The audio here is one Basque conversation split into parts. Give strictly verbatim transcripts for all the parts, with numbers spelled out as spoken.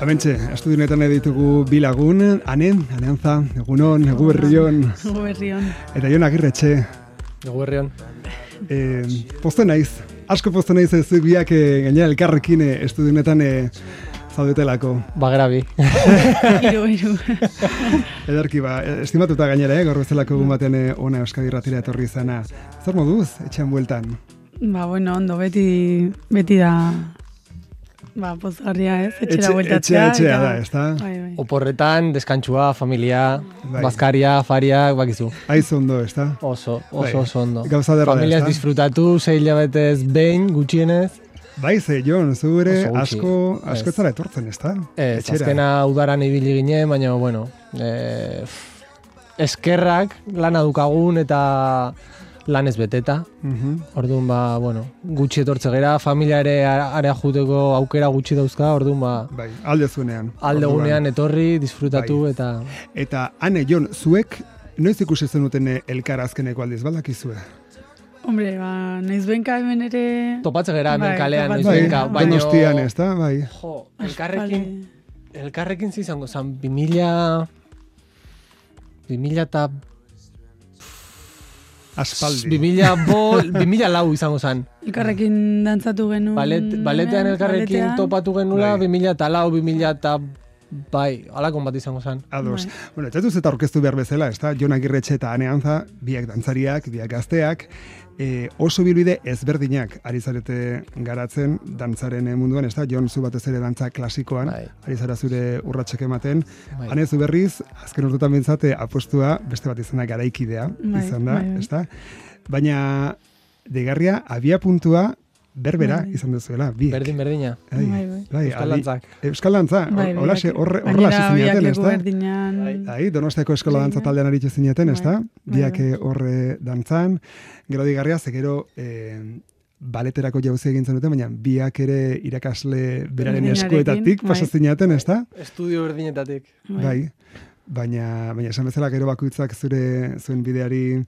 Amentxe, estudionetan ditugu bi lagun, Ane, Aneantza, egunon, egu berrion. Egu berrion. Eta Jon Agirretxe. Egu berrion. Eh, poste naiz, asko poste naiz ez biak eh, gainera elkarrekin eh, estudionetan eh, zaudetelako. Bagera bi. Iru, iru. Ederki ba, estimatuta gainera, eh, gaur bezalako egun baten eh, ona Euskadi Irratira etorri izana. Zer moduz, etxean bueltan? Ba, bueno, ondo, beti, beti da, ba, pozgarria ez, etxera Etxe, bueltatzea. etxea, etxea da, ez da? Bai, bai. Oporretan, deskantsua, familia, Bai. bazkaria, fariak, bakizu. Aiz ondo, ez da? Oso, Bai. oso, oso ondo. Gauza derra da, Familiaz ezta? disfrutatu, sei hilabetez behin, gutxienez. Bai, ze, Jon, zu ere Oso gutxi. asko, asko Ez. ez zara etortzen, ez da? Ez, azkena udaran ibili ginen, baina, bueno, eh, eskerrak lana dukagun eta lanez beteta. Mhm. Orduan, ba, bueno, gutxi etortze gera, familia ere area juteko aukera gutxi dauzka, orduan, ba, Bai, alde zuenean. alde Orduan. gunean etorri, disfrutatu Bai. eta... Eta, Ane, Jon, zuek noiz ikusi zenuten elkar azkeneko aldiz, baldakizue? Hombre, ba, noiz benka hemen ere... Topatze gera hemen Bai, kalean, noiz Bai, benka, baino... Donostian, ez da? Bai. Jo, elkarrekin, elkarrekin zizango zan, bimila... Bimila eta... Aspaldi. Bimila bol, bimila lau izango zan. Elkarrekin dantzatu genuen. Balet, baletean elkarrekin baletean. topatu genula, Bai. bimila eta lau, bimila eta... Bai, alakon bat izango zan. Ados. Bai. Bueno, etxatuz eta orkestu behar bezala, ez da? Jon Agirretxe eta Ane Antza, biak dantzariak, biak gazteak, e, oso bilbide ezberdinak ari zarete garatzen dantzaren munduan, ez da? Jon, zu batez ere dantza klasikoan, Bai. ari zara zure urratsak ematen. Bai. Ane, zu berriz, azken urtetan bintzate apostua, beste bat izan da garaikidea, Bai, izan da, bai, bai. ez da? Baina, deigarria, abia puntua, berbera Bai. izan duzuela, biek. Berdin, berdina. Bai, Bai, bai. bai, Euskal adi- dantzak. Euskal dantza, Bai, bai, horrela bai. horrela Gainera, hasi biak zineten, ez leku da? berdinan. Bai, Donostiako eskola Bai, dantza bai. taldean aritu zineten, ez da? Bai, Biak bai. eh, horre dantzan, gero digarria, ze gero eh, baleterako jauzi egin zenuten, baina biak ere irakasle beraren Berdinarekin, eskuetatik bai. pasa zineten, ez da? Estudio berdinetatik. Bai. Baina, baina esan bezala gero bakoitzak zure zuen bideari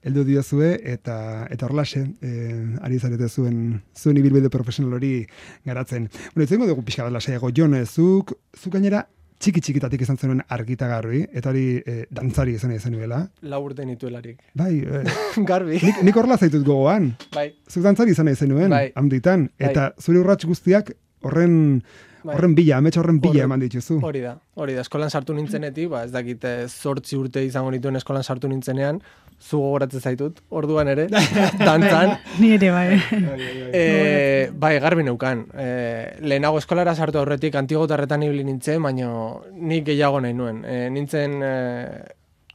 heldu diozue eta eta horlaxe eh, ari zarete zuen zuen ibilbide profesional hori garatzen. Bueno, itzengo dugu pixka bat lasaiago. Jon, eh, zuk zuk gainera txiki txikitatik izan zenuen argitagarri eta hori eh, dantzari izan zenuela. Lau urte nituelarik. Bai, eh, Garbi. nik, nik horrela zaitut gogoan. Bai. Zuk dantzari izan nahi zenuen, Bai. handitan. Bai. Eta zure urrats guztiak horren Bai. horren bila, amets horren bila Horren- eman dituzu. Hori da, hori da, eskolan sartu nintzenetik, ba, ez dakit eh, zortzi urte izango nituen eskolan sartu nintzenean, zu gogoratzen zaitut, orduan ere, dantzan. Ni ere, bai. E, bai, garbi neukan. E, lehenago eskolara sartu aurretik antigotarretan ibili nintzen, baina nik gehiago nahi nuen. E, nintzen e,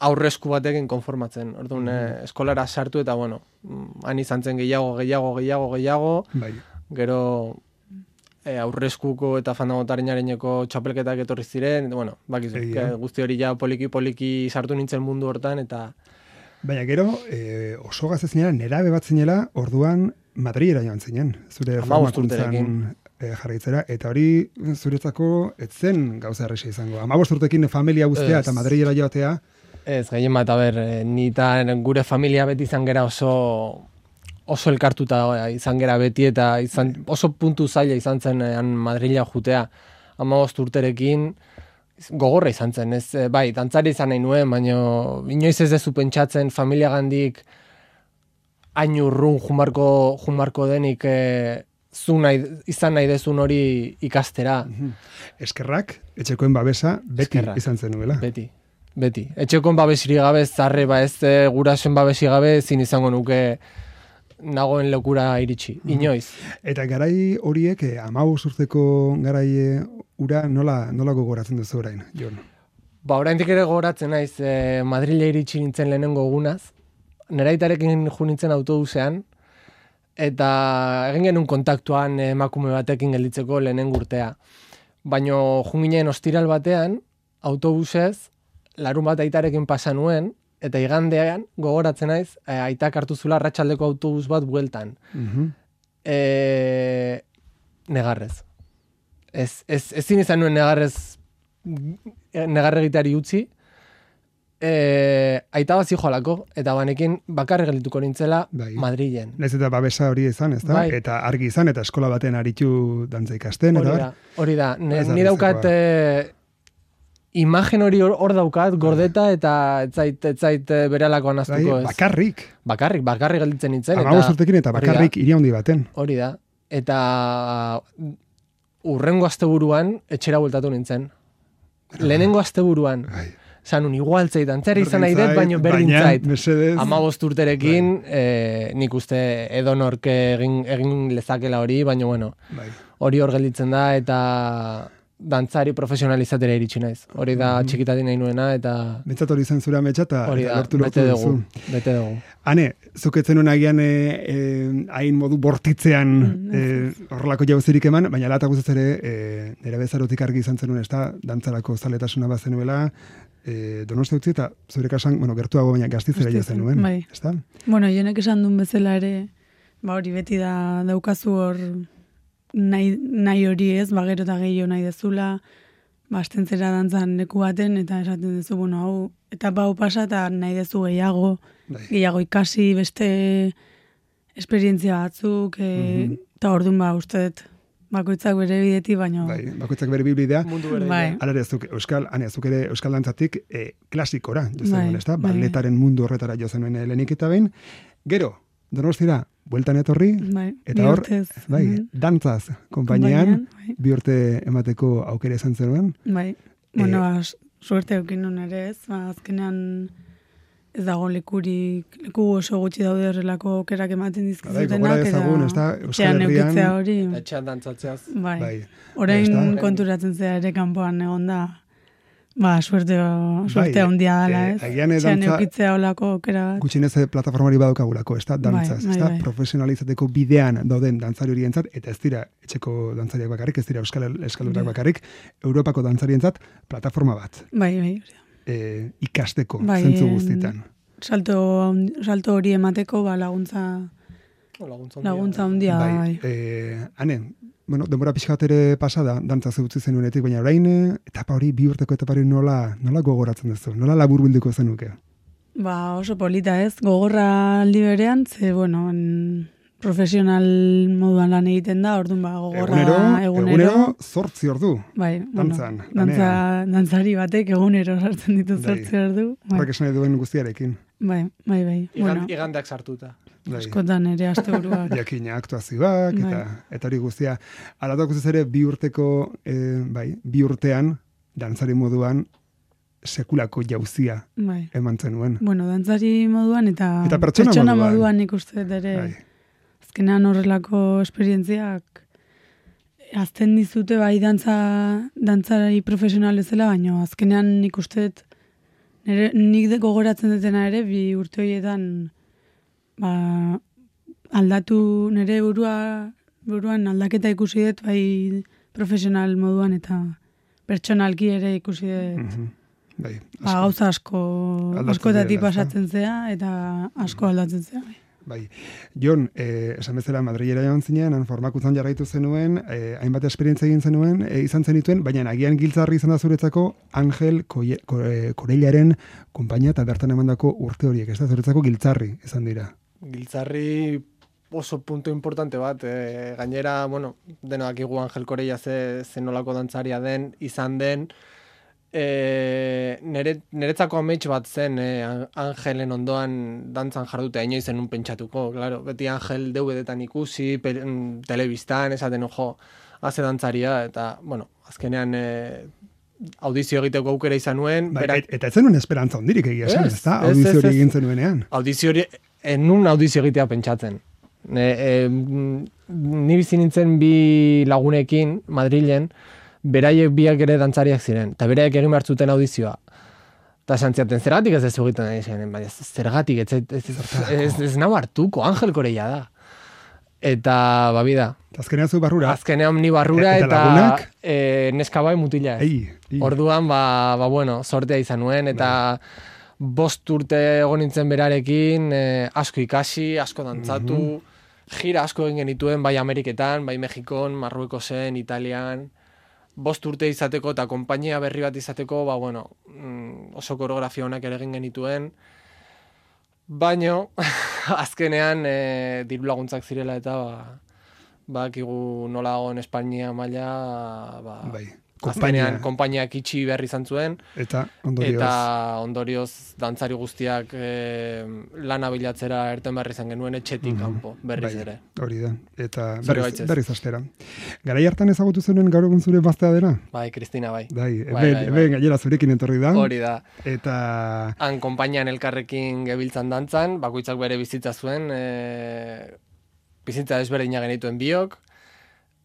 aurresku batekin konformatzen. Orduan, e, eskolara sartu eta, bueno, mm, han izan zen gehiago, gehiago, gehiago, gehiago, Bai. gero e, aurreskuko eta fandagotarinareko txapelketak etorri ziren, bueno, bakizu, Egia. ke, guzti hori ja poliki-poliki sartu nintzen mundu hortan, eta Baina gero, eh, oso gazte zinela, nerabe bat zinela, orduan Madrilera joan zinen, zure Hamabost formakuntzan urterekin. eh, jarraitzera, eta hori zuretzako etzen gauza erresa izango. Hamabost urtekin familia guztia Ez. eta Madrilera joatea, ez, gehien bat, aber, eh, ni eta gure familia beti izan gera oso oso elkartuta eh, izan gera beti eta izan, oso puntu zaila izan zen eh, han Madrila jutea. Hamabost urterekin gogorra izan zen, ez, eh, bai, dantzari izan nahi nuen, baina inoiz ez dezu pentsatzen familia gandik hain urrun jumarko, jumarko denik eh, zu nahi, izan nahi dezun hori ikastera. eskerrak, etxekoen babesa, beti Eskerrak. izan zenuela. Beti, beti. Etxekon babesiri gabe, zarre, ba ez e, gurasoen babesi gabe, zin izango nuke nagoen lekura iritsi. Inoiz. Eta garai horiek, eh, hamabost urteko garai eh, ura nola, nola gogoratzen duzu orain, Jon? Ba, oraindik ere gogoratzen naiz, e, Madrile iritsi nintzen lehenengo egunaz, neraitarekin jo nintzen autobusean, eta egin genuen kontaktuan eh, emakume batekin gelditzeko lehenengo urtea. Baina jo ginen ostiral batean, autobusez, larun bat aitarekin pasa nuen, eta igandean gogoratzen naiz, e, aitak hartu zula arratsaldeko autobus bat bueltan. Mhm. E, negarrez. Ez, ez, ezin izan nuen negarrez negarregitari utzi, e, aita bat zijoalako, eta banekin bakarri geldituko nintzela bai. Madrilen. Naiz eta babesa hori izan, ez da? Bai. Eta argi izan, eta eskola baten aritu dantza ikasten, Hori eta da, hori da. Ne, Ez da ni daukat e, imagen hori hor, hor daukat, gordeta, eta ez zait, ez zait e, beralakoan bai, aztuko ez. bakarrik. Bakarrik, bakarrik gelditzen nintzen. Amabost urtekin eta hori da. bakarrik hiri handi baten. Hori da. Eta urrengo asteburuan etxera bueltatu nintzen. Lehenengo asteburuan. Bai. Zanun, igual zait, antzera izan nahi dut, Berdin baino zait, berdin baina, zait. mesedez. Amabost urterekin, eh, nik uste edonork egin, egin lezakela hori, baina bueno, Bai. hori hor gelditzen da, eta dantzari profesionalizatera iritsi naiz. Hori da txikitatik nahi nuena, eta Bentsat hori zen zure ametsa, eta hori eta da, lortu bete lortu dugu, duzu. bete dugu. Hane, zuketzen nuen agian e, e, hain modu bortitzean e, horrelako jauzerik eman, baina lata guztiz ere e, nire bezarotik argi izan zenuen, ez da, dantzarako zaletasuna bazenuela, e, Donosti utzi eta zure kasan, bueno, gertuago baina gaztizera jo zenuen, bai. ez da? Bueno, jonek esan duen bezala ere, ba hori beti da daukazu hor nahi, nahi hori ez, ba gero eta gehiago nahi dezula, ba astentzera dantzan leku baten, eta esaten duzu, bueno, hau, eta hau pasa, eta nahi dezu gehiago, Bai. gehiago ikasi, beste esperientzia batzuk, e, eta orduan ba, uste dut, bakoitzak bere bideti, baina... Bai, bakoitzak bere biblia. Mundu berdina. Bai. Hala ere, zuk euskal, ane, zuk ere euskal dantzatik e, klasikora, jo zenuen, Bai, ez da? bai, Balletaren mundu horretara jo zenuen lehenik eta behin. Gero, Donostira, bueltan etorri, Bai, eta bi hor, urtez. bai, Mhm. dantzaz, konpainian, Konpainian, bai. bi urte emateko aukera izan zenuen. Bai, bueno, ba, suerte eukin nun ere ez, ba, azkenean ez dago lekurik, leku oso gutxi daude horrelako aukerak ematen Bai, dizkizutenak, gogora dezagun, ez da, Euskal etxean Herrian, eukitzea hori, Eta etxean dantzatzeaz. bai, bai, orain ez da? konturatzen zea ere kanpoan egon da, ba, suerte, suerte Bai, handia dela, eh, ez? agian eh, Etxean dantza- eukitzea olako aukera bat. gutxinez eh, plataformari badaukagulako, ez da, dantzaz, Bai, ez da, bai, bai. profesionalizateko bidean dauden dantzari horientzat, eta ez dira etxeko dantzariak bakarrik, ez dira euskal eskalurak Bai. bakarrik, Europako dantzarientzat plataforma bat, Bai, bai, hori da. e, ikasteko, Bai, zentzu en- guztietan. Salto, salto hori emateko, ba, laguntza, Laguntza handia. laguntza handia, Bai, bai. eh, ane, bueno, denbora pixka bat ere pasada, dantza zeutzi zenuenetik, baina orain, eh, etapa hori, bi urteko etapa hori nola, nola gogoratzen duzu, nola laburbilduko zenuke? Ba, oso polita ez, gogorra aldi berean, ze, bueno, en, profesional moduan lan egiten da, orduan ba, gogorra Egunero, egunero. egunero, zortzi ordu. Bai, bueno, dantzan, dantza, dantzari batek egunero sartzen ditu Bai. zortzi ordu. Bai, Horrek esan nahi duen guztiarekin. bai, bai, bai. Igan, Bueno, igandeak sartuta. Bai. askotan ere asteburuak. Jakina aktuazioak, eta, Bai. eta hori guztia. Alatak guztiz ere, bi urteko, eh, bai, bi urtean, dantzari moduan, sekulako jauzia Bai. eman zenuen. Bueno, dantzari moduan eta, Eta pertsona moduan. moduan nik uste dut ere. Bai. Azkenean horrelako esperientziak azten dizute bai dantza, dantzari profesional ezela, baina azkenean nik uste dut nire, nik de gogoratzen dutena ere bi urte horietan ba, aldatu nire burua buruan aldaketa ikusi dut bai profesional moduan eta pertsonalki ere ikusi dut Mhm. Bai, ba, asko. gauza asko Aldatzen askotatik direla, ezta? pasatzen zea eta asko aldatzen zea bai. Bai. Jon, eh, esan bezala Madrilera joan zinean, han formakuntzan jarraitu zenuen, eh, hainbat esperientzia egin zenuen, eh, izan zenituen, baina agian giltzarri izan da zuretzako Angel Koie- Ko- eh, Korellaren konpainia eta bertan emandako urte horiek, ez da, zuretzako giltzarri izan dira. Giltzarri oso punto importante bat, e, gainera, bueno, denoak igu Angel Corella ze, ze nolako dantzaria den, izan den, e, nere, neretzako amets bat zen e, Angelen ondoan dantzan jardutea inoiz zenun pentsatuko, claro, beti Angel D V D-tan ikusi, pe, mm, telebistan, esaten ojo, haze dantzaria, eta, bueno, azkenean e, audizio egiteko aukera izan nuen, Bai, berak- et- eta ez zenuen esperantza hondirik egia esan, Ez, ez da, ez, audizio ez, hori ez. egin zenuenean. audizio hori, enun audizio egitea pentsatzen. Ne, e, ni bizi nintzen bi lagunekin Madrilen, beraiek biak ere dantzariak ziren, eta beraiek egin behar zuten audizioa. Eta esan ziaten, zergatik ez ez egiten nahi zen, baina zergatik, ez, ez, ez, ez, ez nau hartuko, Angel Corella da. Eta, babida, Eta azkenean zu barrura, azkenean ni barrura E- eta eta, lagunak? e, neska bai mutila ez. ei, ei. Orduan, ba, ba, bueno, sortea izan nuen, eta bost urte egon nintzen berarekin, eh, asko ikasi, asko dantzatu, gira asko egin genituen, bai Ameriketan, bai Mexikon, Marruekosen, Italian, bost urte izateko eta konpainia berri bat izateko, ba, bueno, oso koreografia honak ere egin genituen, baino, azkenean e, diru laguntzak zirela eta ba, bakigu nola dagoen Espainia maila, ba, bai. Azkenean konpainiak itxi behar izan zuen, eta ondorioz, eta ondorioz dantzari guztiak e, lana bilatzera erten behar izan genuen etxetik mm -hmm. kanpo, berriz bai, ere. Hori da, eta berriz, berriz astera. Garai hartan ezagutu zuen gaur egun zure baztea dela? Bai, Kristina, bai. Bai, bai, bai, bai. Eben, gainera zurekin entorri da. Hori da. Eta... Han konpainian elkarrekin gebiltzan dantzan, bakoitzak bere bizitza zuen, e, bizitza desberdina genituen biok,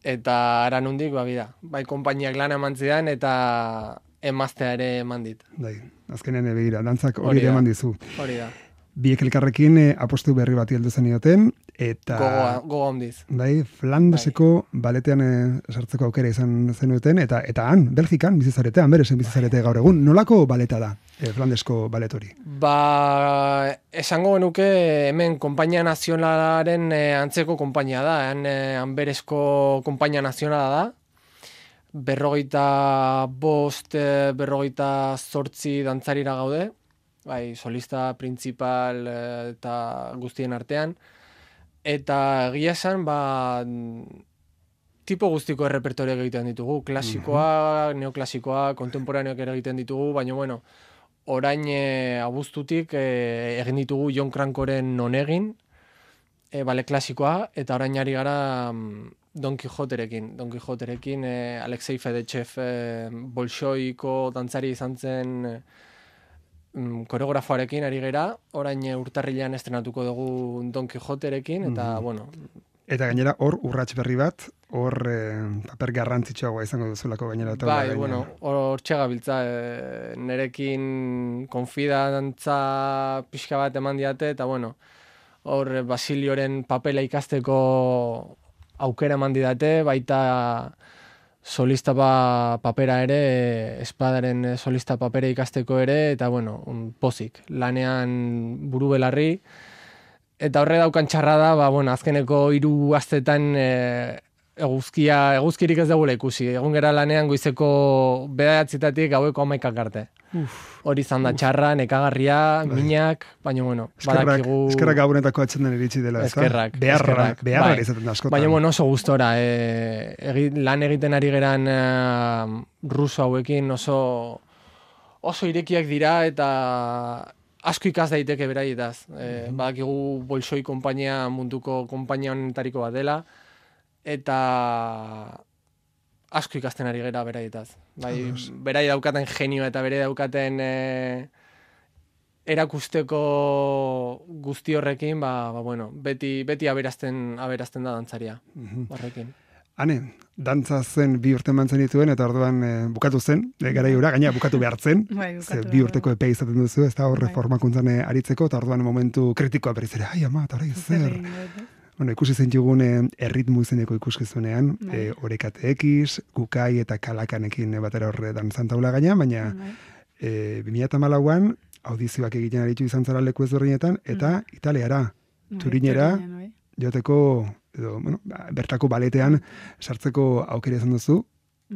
eta ara nundik, ba, bida, bai konpainiak lana eman zidan, eta emaztea ere eman dit. Bai, azkenean begira, dantzak hori ere eman dizu. Hori da. Biek elkarrekin eh, apostu berri bati heldu zenioten, eta... Gogoa, gogoa ondiz. Bai, Flandeseko bai. baletean eh, sartzeko aukera izan zenuten, eta eta han, Belgikan, bizizaretean, beresen bizizarete gaur egun. Nolako baleta da, eh, Flandesko baletori? Ba, esango genuke hemen konpainia nazionalaren eh, antzeko konpainia da, han, eh, hanberezko konpainia nazionala da, berrogeita bost, eh, berrogeita zortzi dantzarira gaude, bai, solista, principal eta guztien artean, eta egia esan, ba, tipo guztiko errepertoriak egiten ditugu, klasikoa, neoklasikoa, kontemporaneoak ere egiten ditugu, baina, bueno, orain e, abuztutik e, egin ditugu Jon Crankoren non egin, e, bale klasikoa, eta orain ari gara Don Quijoterekin. Don Quijoterekin, e, Alexei Fedetxev e, bolxoiko dantzari izan zen e, koreografoarekin ari gera, orain urtarrilean estrenatuko dugu Don Quijoterekin, eta, mm. bueno... Eta gainera, hor urrats berri bat, hor eh, paper garrantzitsuagoa izango duzulako gainera. Bai, gainera. Bueno, hor txegabiltza, e, nerekin konfidantza pixka bat eman diate, eta, bueno, hor Basilioren papela ikasteko aukera eman didate, baita... solista ba, papera ere, espadaren solista papera ikasteko ere, eta bueno, un pozik, lanean buru belarri, eta horre daukan txarra da, ba, bueno, azkeneko hiru astetan e, eguzkia, eguzkirik ez dugula ikusi, egun gera lanean goizeko bederatzitatik gaueko hamaikak arte. Hori izan da txarra, nekagarria, bai. Minak, baina bueno, eskerrak, badakigu... Eskerrak gabonetako atxenden iritsi dela, ez da? Eskerrak, beharra, eskerrak. Beharra bai. izaten da askotan. Baina bueno, oso gustora, e, egi, lan egiten ari geran e, ruso hauekin oso, oso irekiak dira eta asko ikas daiteke beraietaz. E, mm-hmm. Badakigu bolxoi konpainia munduko konpainia honetariko bat dela, eta... asko ikasten ari gera beraietaz. Bai, berai daukaten genio eta bere daukaten e, erakusteko guzti horrekin, ba, ba bueno, beti, beti aberazten, aberazten da dantzaria, mm-hmm. horrekin. Hane, dantza zen bi urte mantzen dituen, eta orduan e, bukatu zen, e, garai hura, gaina bukatu behartzen, bai, bukatu bi urteko epe izaten duzu, ez da horre bai. Formakuntzan aritzeko, eta orduan momentu kritikoa berriz ere, ai ama, eta hori zer... Bueno, ikusi zentugun erritmu izeneko ikuskizunean, e, Orekate X, Kukai eta Kalakanekin batera horre dantzan taula gaina, baina e, bi mila hamalauan audizioak egiten aritu izan zara leku ezberdinetan, eta mm. Italiara, Turinera, joteko, edo, bueno, bertako baletean sartzeko aukera izan duzu.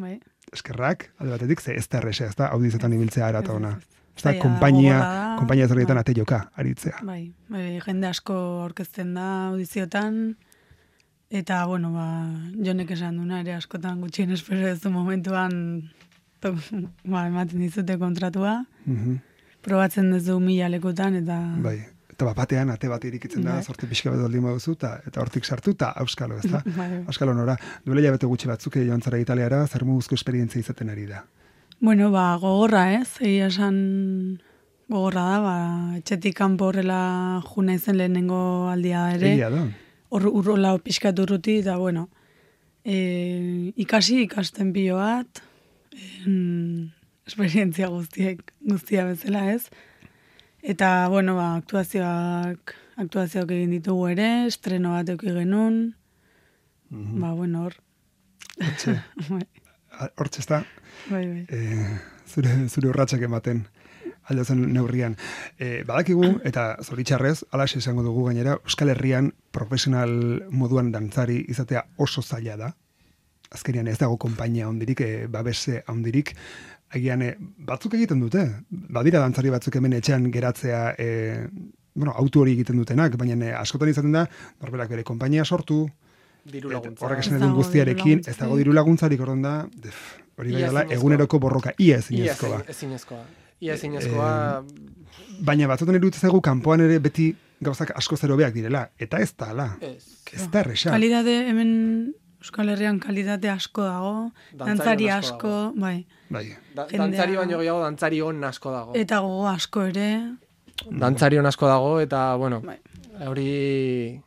Bai. Eskerrak, alde batetik, ze ez da errexea, ez da audizioetan ibiltzea ara eta ona. Ez da, kompainia, kompainia zerrietan ate joka, aritzea. Bai, bai, jende asko orkezten da audiziotan, eta, bueno, ba, Jonek esan duna ere askotan gutxien espero ez du momentuan, to, ba, ematen dizute kontratua, mm-hmm. probatzen duzu mila lekutan, eta... Bai, eta bapatean ate bat irikitzen da, bai. Zorte pixka bat aldin baduzu, eta, eta hortik sartu, eta auskalo, ez da? Bai. Auskalo nora, duela jabete gutxi batzuk joan zara Italiara, zer moduzko esperientzia izaten ari da? Bueno, ba, gogorra ez, egia esan gogorra da, ba, etxetik kanpo horrela juna izen lehenengo aldia ere. Egia da. Hor urrola pixkatu urruti, eta bueno, e, ikasi ikasten pilo bat, en, esperientzia guztiek, guztia bezala ez. Eta, bueno, ba, aktuazioak, aktuazioak egin ditugu ere, estreno bat euki genuen, mm-hmm. ba, bueno, hor. Hortxe, hortxe ez da. Bai, bai. E, zure, zure urratxak ematen aldezen neurrian. E, badakigu, eta zoritxarrez, alaxe esango dugu gainera, Euskal Herrian profesional moduan dantzari izatea oso zaila da. azkenean ez dago konpainia hondirik, e, babese hondirik, agian e, batzuk egiten dute, badira dantzari batzuk hemen etxean geratzea, e, bueno, autu hori egiten dutenak, baina e, askotan izaten da, norberak bere konpainia sortu, diru laguntza. Horrek esan edun guztiarekin, ez dago diru laguntzarik orduan da, def, hori bai dela, eguneroko borroka, ia ezinezkoa. Ia ezinezkoa. Ia ezinezkoa. E, baina batzutan iruditzen zaigu, kanpoan ere beti gauzak asko zerobeak direla, eta ez da, ala. Ez. Ez da erresa. Kalidade, hemen Euskal Herrian kalidade asko dago, dantzari asko, bai. Bai. Da, dantzari baino gehiago, dantzari on asko dago. Eta gogo asko ere. Dantzari on asko dago, eta, bueno, bai. Hori...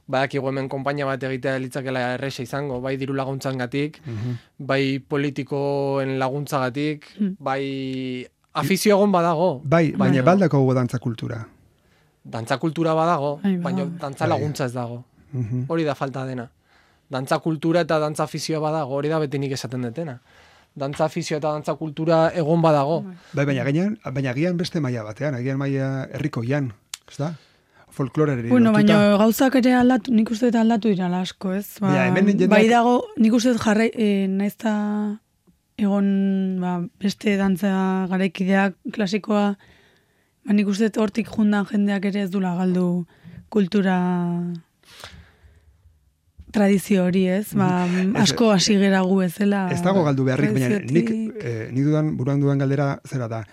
Badakigu hemen konpainia bat egitea litzakela erresa izango, bai diru laguntzangatik, uh-huh. bai politikoen laguntzagatik, uh-huh. bai afizio egon badago. Bai, baina bai. Baldako gogo dantza kultura. Dantza kultura badago, bai, baina dantza laguntza ez dago. Uh-huh. Hori da falta dena. Dantza kultura eta dantza afizioa badago, hori da beti nik esaten detena. Dantza afizioa eta dantza kultura egon badago. Bai, baina gian, baina gian beste maila batean, agian maila herrikoian, ez da? Folkloreri bueno, baina gauzak ere aldatu, nik uste eta aldatu dira asko, ez? Ba, ja, jendeak... Bai dago, nik uste jarrai, e, naizta egon ba, beste dantza garaikideak klasikoa, ba, nik uste hortik jundan jendeak ere ez dula galdu kultura tradizio hori, ez? Ba, asko hasi gera gu ezela. Ez dago galdu beharrik, baina nik, eh, nik dudan, buruan dudan galdera zera da,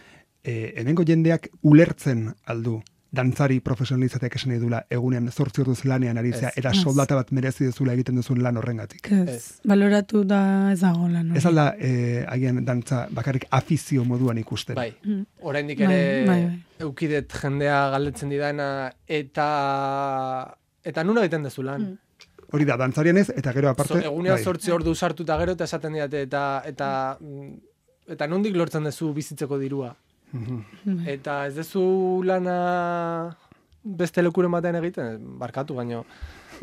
eh, hemengo jendeak ulertzen aldu dantzari profesionalizateak esan edula egunean zortzi orduz lanean aritzea, eta soldata bat merezi dezula egiten duzun lan horrengatik. Ez, baloratu da ez dago lan. Ez alda, eh, agian dantza bakarrik afizio moduan ikusten. Bai, mm. oraindik ere bai, bai, bai. Eukidet jendea galdetzen didana, eta eta nuna egiten dezu lan. Mm. Hori da, dantzarien ez, eta gero aparte... So, egunean zortzi ordu sartu eta gero, eta esaten didate, eta, eta, eta nondik lortzen dezu bizitzeko dirua. Mm-hmm. Eta ez dezu lana beste lekuren batean egiten, barkatu, baino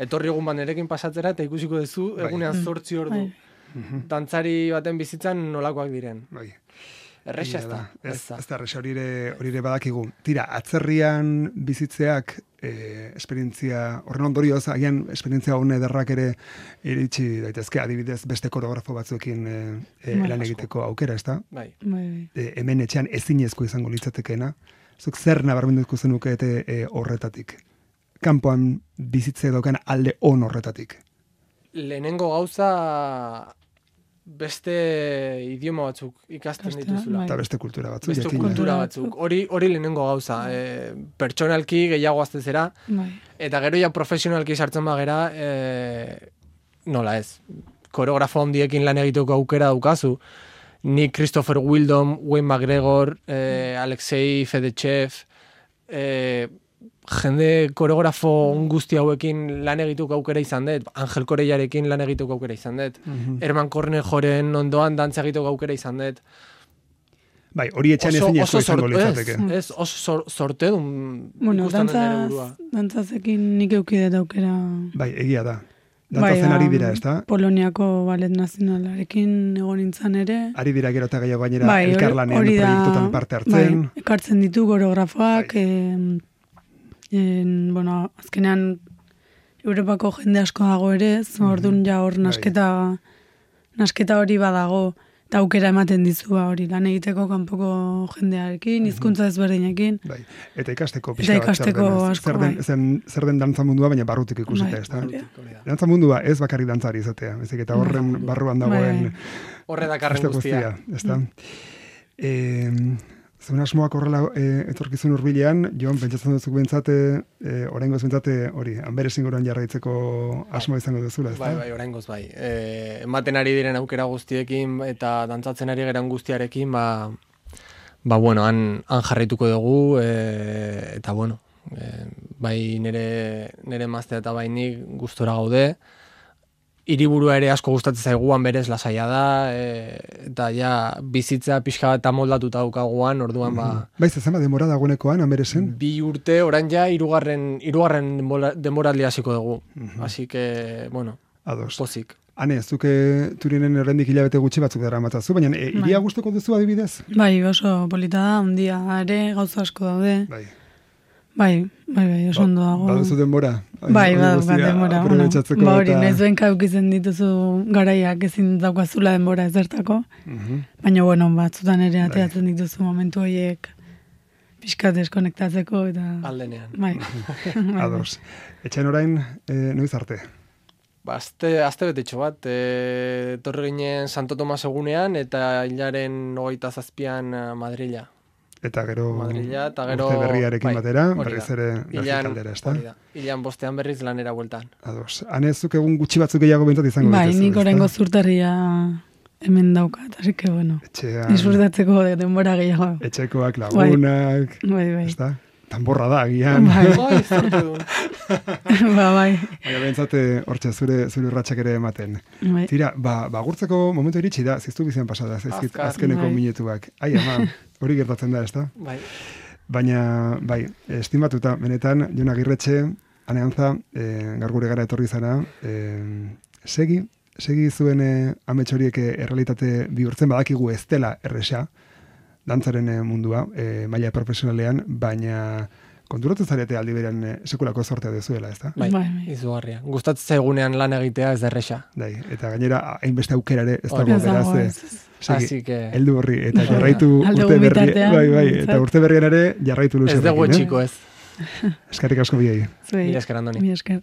etorri egun banerekin pasatzera eta ikusiko dezu egunean zortzi ordu mm-hmm. dantzari baten bizitzan nolakoak diren. Bai. Erresa ez da. Ez da, erresa hori ere badakigu. Tira, atzerrian bizitzeak eh, esperientzia, horren ondorioz, agian esperientzia hone derrak ere iritsi daitezke, adibidez beste koreografo batzuekin eh, eh, lan egiteko aukera, ez da? Bai. Eh, hemen etxean ezinezko izango litzatekeena. Zuk zer nabarmenduko zenuke eta eh, horretatik? Kanpoan bizitze daukan alde on horretatik? Lehenengo gauza... beste idioma batzuk ikasten beste, dituzula. Eta beste kultura batzuk. Beste kultura batzuk. Hori hori lehenengo gauza. E, pertsonalki gehiago aztezera. Bai. Eta gero ja profesionalki sartzen bagera, e, nola ez. Koreografo handiekin lan egiteko aukera daukazu. Ni Christopher Wildon, Wayne McGregor, e, Alexei Fedechev, e, jende koreografo guzti hauekin lan egituko aukera izan dut, Angel Koreiarekin lan egituko aukera izan dut, mm-hmm. Herman Cornejoren ondoan dantza egituko aukera izan dut. Bai, hori etxan ezin ezko izango litzateke. Ez, ez, oso sorte dun bueno, dantzaz, dantzazekin nik eukidet aukera. Bai, egia da. Dantzazen bai, ari dira, ez da? Poloniako Ballet Nazionalarekin egon nintzen ere. Ari dira gero eta gehiago gainera bai, elkarlanean proiektutan parte hartzen. Bai, ekartzen ditu koreografoak, bai. e, En, bueno, azkenean Europako jende asko dago ere, orduan ja hor nasketa, nasketa hori badago, eta aukera ematen dizu hori lan egiteko kanpoko jendearekin, hizkuntza ezberdinekin. Bai. Eta ikasteko pixka bat zer den, asko, zer den, zen, zer den dantza mundua, baina barrutik ikusita, ez da? Dantza mundua ez bakarrik dantzari izatea, ez eta horren barruan dagoen... Horre dakarren guztia. Ez da? Eh... Zuen asmoak horrela e, etorkizun hurbilean, Jon, pentsatzen duzuk bentsate, e, oraingoz bentsate, hori, Anberes inguruan jarraitzeko asmoa izango duzula, ez da? Bai, bai, oraingoz bai. E, ematen ari diren aukera guztiekin eta dantzatzen ari geran guztiarekin, ba, ba bueno, han, han jarraituko dugu, e, eta bueno, e, bai nire, nire mazte eta bai nik gustora gaude, hiriburua ere asko gustatzen zaiguan berez lasaia da, e, eta ja bizitza pixka bat amoldatuta daukaguan, orduan ba... Baiz, zenba demora dagoenekoan, Anberesen? Bi urte, orain ja, irugarren, irugarren demoraldi hasiko dugu. Uh-huh. Así que, bueno, ados. Pozik. Hane, zuke turinen errendik hilabete gutxi batzuk dara matzazu, baina e, iria gustuko duzu adibidez? Bai, oso polita da, ondia ere, gauza asko daude. Bai. Bai, bai, bai, oso ondo dago. Baduzu denbora? Bai, baduzu denbora. Aprobetxatzeko Ba hori, eta... nahiz duen kaukizen dituzu garaiak ezin daukazula denbora ezertako. Mhm. Baina, bueno, batzutan ere ateatzen dituzu momentu horiek pixka deskonektatzeko eta... Aldenean. Bai. Ados. Etxean orain, eh, noiz arte? Ba, azte, azte betetxo bat, e, torri ginen Santo Tomas egunean eta hilaren hogeita zazpian Madrila. Eta gero, Madrila, eta gero urte berriarekin bai, batera, hori berriz da. ere Ilan, Belgikaldera, ezta? hori da. Ilan bostean berriz lanera bueltan. Ados. Hanezuk egun gutxi batzuk gehiago bintzat izango Bai, dituzu, nik ezta? orengo zurtarria hemen daukat, así que bueno. Etxean, Disfrutatzeko denbora gehiago. etxekoak, lagunak, Bai, bai. ezta? Tanborra da, agian. Bai, Bai, zorte duen. ba, bai. Baina bentsate, hortxe, zure, zure urratxak ere ematen. Bai. Tira, ba, ba gurtzeko momentu iritsi da, ziztu bizian pasada, zaizkit, Azkar. azkeneko Bai. minutuak. Ai, ama, hori gertatzen da, ezta? Bai. Baina, bai, estimatuta, benetan, Jon Agirretxe, aneantza, e, gaur gure gara etorri zara, e, segi, segi zuen e, amets horiek e, errealitate bihurtzen, badakigu ez dela erresa, dantzaren e, mundua, e, maila profesionalean, baina konturatu zarete aldi berean e, sekulako sortea dezuela, ez da? Bai, Bai, bai. izugarria. Gustatzen zaigunean lan egitea ez da erresa. Dai, eta gainera, hainbeste aukera ere ez Hori dago, Ez dago, beraz, ez, e, ez. segi, Así que... heldu horri, eta jarraitu Alde urte berri, bitartean, bai, bai, behintzat. eta urte berrian ere jarraitu Ez luze. dugu etxiko ez. Eskerrik asko biei. Zuei. Mila esker, Andoni. Mila esker.